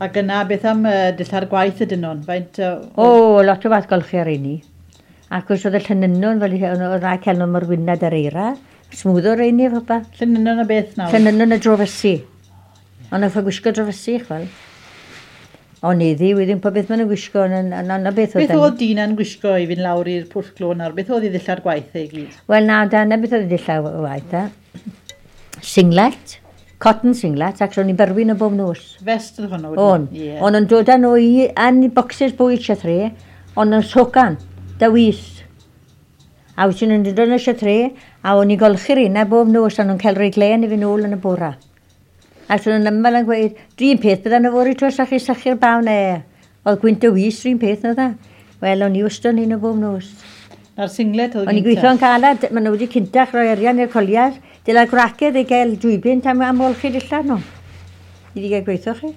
Ac yna, beth am dillad gwaith ydyn nhw'n? Faint O, lot o fath golchi ar reini. Ac os oedd y llynynon, fel oedd rhaid cael nhw mor wynad ar eira, smwddo reini efo ba. Llynynon o beth nawr? Llynynon y drofysu. Ond oedd gwisgo drofysu, chwel. Ond iddi, wedyn po beth maen nhw'n gwisgo, ond na beth oedd... Beth oedd Dina'n gwisgo i fynd lawr i'r pwll glo nawr? Beth oedd ei ddillad gwaith ei gyd? Wel na, da, na beth oedd ei ddillad waith, e. Singlet, cotton singlet, ac ro'n i'n berwi nhw bob nos. Vest oedd hwnnw? O'n. Yeah. O'n yn dod â nhw i, yn boxes bwyd siathre, ond yn socan, da wys. A wyt yn dod yn y siathre, a o'n i'n golchi'r un bob nos, a nhw'n cael rhoi glen i fi nôl yn y bora. Ac so nhw'n ymwneud yn gweud, dwi'n peth bydda nhw fod i twys chi sychu'r baw ne. Oedd gwynt y wys rhywun peth na dda. Wel, o'n i wastad un o bob nos. Na'r singlet oedd O'n i'n gweithio'n galad, maen nhw wedi cyntach rhoi arian i'r coliad. Dyla gwragedd i gael 2 bunt am olchi dillad nhw. I wedi gael gweithio chi.